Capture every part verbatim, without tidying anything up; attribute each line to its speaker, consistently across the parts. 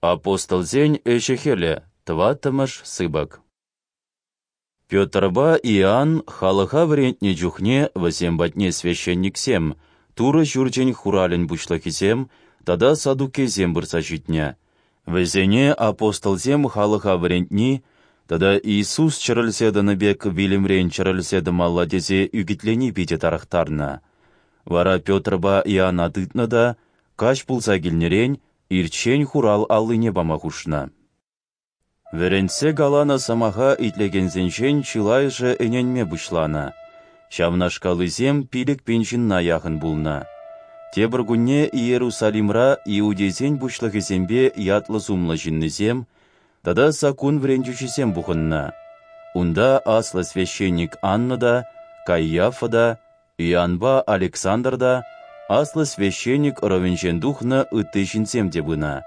Speaker 1: Апостолсен ӗҫӗ-хӗлӗ, тӑваттӑмӗш сыпӑк. Петрпа Иоанн халӑха вӗрентнӗ чухне вӗсем патне священниксем, Турӑ Ҫурчӗн хуралӗн пуҫлӑхӗсем тата саддукейсем пырса ҫитнӗ. Вӗсене апостолсем халӑха вӗрентни тата Иисус чӗрӗлсе тӑнӑ пек вилӗмрен чӗрӗлсе тӑмалла тесе ӳкӗтлени питӗ тарӑхтарнӑ. Вара Петрпа Иоанна тытнӑ та, каҫ пулса килнӗрен, ирччен хурал аллине пама хушнӑ. Вӗрентсе каланӑ сӑмаха итлекенсенчен чылайӑшӗ ӗненме пуҫланӑ. Ҫавнашкаллисем пилӗк пин ҫынна яхӑн пулнӑ. Тепӗр кунне Иерусалимра иудейсен пуҫлӑхӗсемпе ятлӑ-сумлӑ ҫыннисем тата саккун вӗрентӳҫисем пухӑннӑ. Унта аслӑ священник Анна та, Каиафа та, Иоаннпа Александр та, аслӑ священник ӑрӑвӗнчен тухнӑ ытти ҫынсем те пынӑ.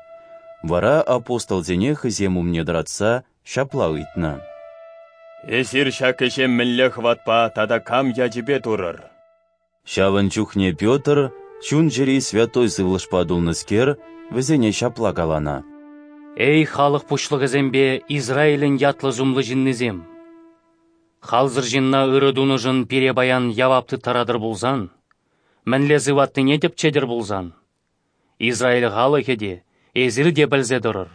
Speaker 1: Вара апостолсене хӑйсем умне тӑратса ҫапла ыйтнӑ:
Speaker 2: «Эсир ҫак ӗҫе мӗнле хӑватпа тата кам ячӗпе турӑр?»
Speaker 1: Ҫавӑн чухне Петр, чун-чӗри Святой Сывлӑшпа тулнӑскер, вӗсене ҫапла каланӑ:
Speaker 3: «Эй, халӑх пуҫлӑхӗсемпе Израилӗн ятлӑ-сумлӑ ҫыннисем! Халсӑр ҫынна ырӑ тунӑшӑн пире паян явап тыттаратӑр пулсан, мӗнле сыватнине тӗпчетӗр пулсан, Израиль халӑхӗ те, эсир те пӗлсе тӑрӑр.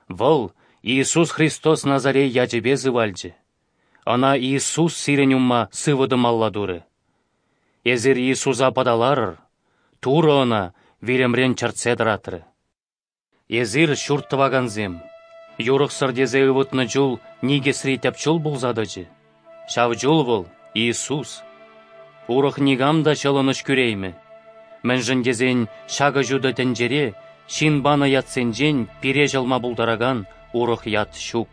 Speaker 3: Вӑл Иисус Христос Назарей ячӗпе сывалчӗ. Ӑна Иисус сирӗн умма сывӑ тӑмалла турӗ. Эсир Иисуса пӑталарӑр, Турӑ ӑна вилӗмрен чӗртсе тӑратрӗ. Эсир, ҫурт тӑвакансем, юрӑхсӑр тесе ывӑтнӑ чул никӗсри тӗп чул пулса тӑчӗ. Ҫав чул вӑл Иисус. Урӑх никам та ҫӑлӑнӑҫ кӳреймӗ. Мӗншӗн тесен ҫакӑ ҫутӑ тӗнчере ҫын панӑ ятсенчен пире ҫӑлма пултаракан урӑх ят ҫук».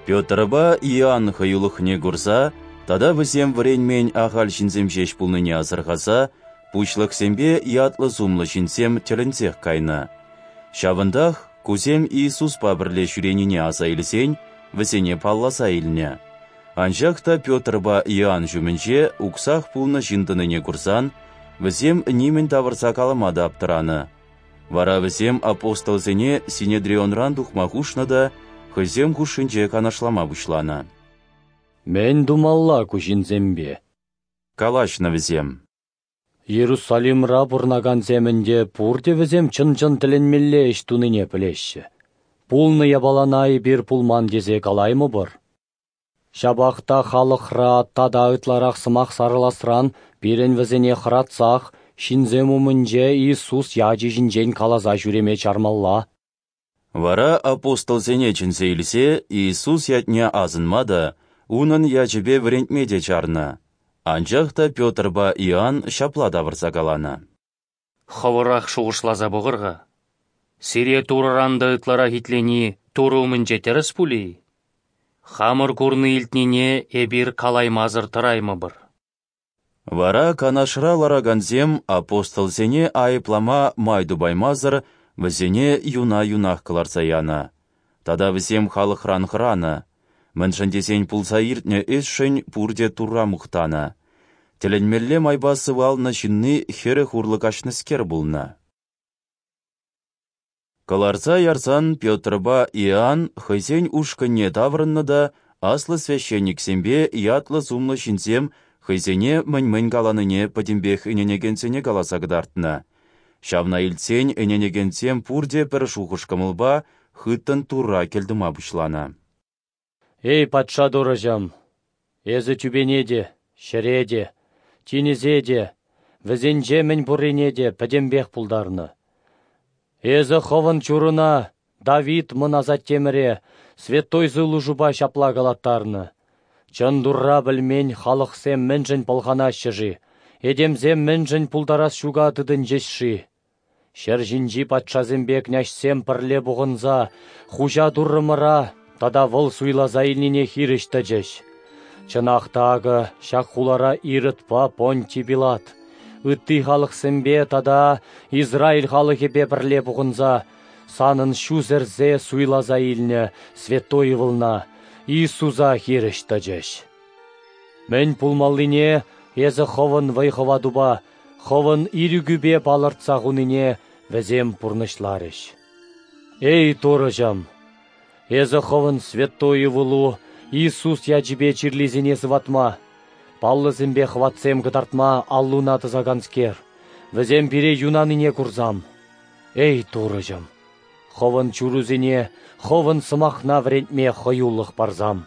Speaker 1: Петрпа Иоанн хӑюлӑхне курса тата вӗсем вӗренмен ахаль ҫынсем ҫеҫ пулнине асӑрхаса пуҫлӑхсемпе ятлӑ-сумлӑ ҫынсем тӗлӗнсех кайнӑ. Ҫавӑнтах кусем Иисуспа пӗрле ҫӳренине аса илсен вӗсене палласа илнӗ. Анчах та Петрпа Иоанн ҫумӗнче уксах пулнӑ ҫын тӑнине курсан вӗсем нимӗн тавӑрса калама та аптӑранӑ. Вара вӗсем апостолсене Синедрионран тухма хушнӑ та хӑйсем хушшинче канашлама пуҫланӑ.
Speaker 4: «Мӗн тумалла ку ҫынсемпе?»
Speaker 1: калаҫнӑ вӗсем.
Speaker 4: «Иерусалимра пурӑнакансем ӗнтӗ пурте вӗсем чӑн-чӑн тӗлӗнмелле ӗҫ тунине пӗлеҫҫӗ. Пулнӑ япалана эпир пулман тесе калаймӑпӑр. Ҫапах та халӑхра тата ытларах сӑмах сарӑласран пирӗн вӗсене хӑратсах ҫынсем умӗнче Иисус ячӗ ҫинчен каласа ҫӳреме чармалла».
Speaker 1: Вара апостолсене чӗнсе илсе Иисус ятне асӑнма та, унӑн ячӗпе вӗрентме те чарнӑ. Анчах та Петрпа Иоанн ҫапла тавӑрса каланӑ:
Speaker 3: «Хӑвӑрах шухӑшласа пӑхӑр-ха. Сире Турӑран та ытларах итлени Турӑ умӗнче тӗрӗс пулӗ-и? Хамӑр курни-илтнине эпир калаймасӑр тӑраймӑпӑр».
Speaker 1: Вара канашра ларакансем апостолсене айӑплама май тупаймасӑр вӗсене юна-юнах кӑларса янӑ. Тата вӗсем халӑхран хӑранӑ, мӗншӗн тесен пулса иртнӗ ӗҫшӗн пурте Турра мухтанӑ. Тӗлӗнмелле майпа сывалнӑ ҫынни хӗрӗх урлӑ каҫнӑскер пулнӑ. Кӑларса ярсан Петрпа Иоанн хӑйсен ушкӑнне таврӑннӑ та аслӑ священниксемпе ятлӑ-сумлӑ ҫынсем хӑйсене мӗн-мӗн каланине пӗтӗмпех ӗненекенсене каласа кӑтартнӑ. Ҫавна илтсен ӗненекенсем пурте пӗр шухӑш-кӑмӑлпа хыттӑн Турра кӗлтума пуҫланӑ.
Speaker 4: «Эй, патша Турӑҫӑм, эсӗ тӳпене те, ҫӗре те, тинӗсе те, вӗсенче мӗн пуррине те пӗтӗмпех пултарнӑ. Эсӗ хӑвӑн чуруна, Давид мӑн асаттемӗре, Святой Сывлӑшупа ҫапла калаттарнӑ: Чӑн Турра пӗлмен халӑхсем мӗншӗн пӑлханаҫҫӗ-ши, этемсем мӗншӗн пултарас ҫука тытӑнчӗҫ-ши? Ҫӗр ҫинчи патшасемпе княҫсем пӗрле пухӑнса хуҫа Туррӑмӑра тата вӑл суйласа илнине хирӗҫ тӑчӗҫ. Чӑнах та акӑ ҫак хулара Иродпа Понтий Пилат, ытти халӑхсемпе тата Израиль халӑхӗпе пӗрле пухӑнса санӑн ҫу сӗрсе суйласа илнӗ Святой ывӑлна Иисуса хирӗҫ тӑчӗҫ. Мӗн пулмаллине эсӗ хӑвӑн вӑй-хӑватупа, хӑвӑн ирӗкӳпе палӑртса хунине вӗсем пурнӑҫларӗҫ». Эй, Турӑҫӑм, Эсӗ Хӑвӑн святой Ывӑлу Иисус ячӗпе чирлисене сыватма, паллӑсемпе хӑватсем кӑтартма аллуна тӑсаканскер, вӗсем пире юнанине курсам. Эй, Турӑҫӑм, Хӑвӑн чурусене Хӑвӑн сӑмахна вӗрентме хӑюлӑх парсам.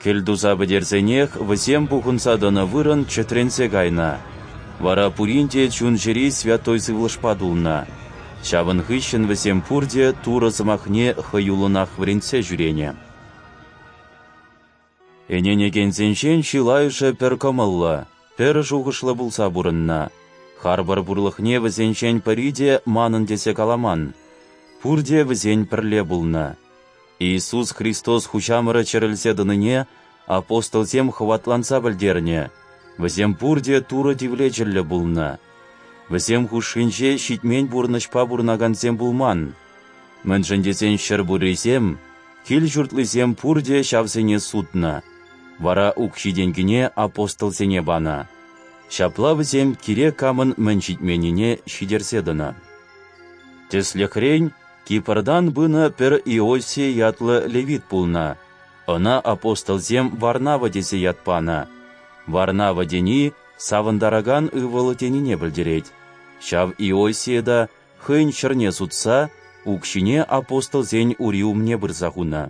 Speaker 1: Кӗлтуса пӗтерсенех вӗсем пухӑнса тӑнӑ вырӑн чӗтренсе кайнӑ. Вара пурин те чун-чӗри Святой Сывлӑшпа тулнӑ. Ҫавӑн хыҫҫӑн вӗсем пурте Турӑ сӑмахне хӑюллӑнах вӗрентсе ҫӳренӗ. Ӗненекенсенчен чылайӑшӗ пӗр кӑмӑллӑ, пӗр шухӑшлӑ пулса пурӑннӑ. Харпӑр пурлӑхне вӗсенчен пӗри те манӑн тесе каламан. Пурте вӗсен пӗрле пулнӑ. Иисус Христос Хуҫамӑрӗ чӗрӗлсе тӑнине апостолсем хӑватланса пӗлтернӗ, вӗсем пурте Турӑ тивлечӗллӗ пулнӑ. Вӗсем хушшинче ҫитмен пурнӑҫпа пурӑнакансем пулман. Мӗншӗн тесен ҫӗр пуррисем, кил-ҫуртлисем пурте ҫавсене сутнӑ. Вара укҫи-тенкине апостолсене панӑ. Ҫапла вӗсем кирек камӑн мӗн ҫитменнине ҫитерсе тӑнӑ. Тӗслӗхрен, Кипртан пынӑ пӗр Иосия ятлӑ левит пулнӑ. Ӑна апостолсем Варнава тесе ят панӑ. Варнава тени савӑнтаракан ывӑл тенине пӗлтерет. Ҫав Иосия та хӑйӗн ҫӗрне сутса укҫине апостолсен ури умне пырса хунӑ.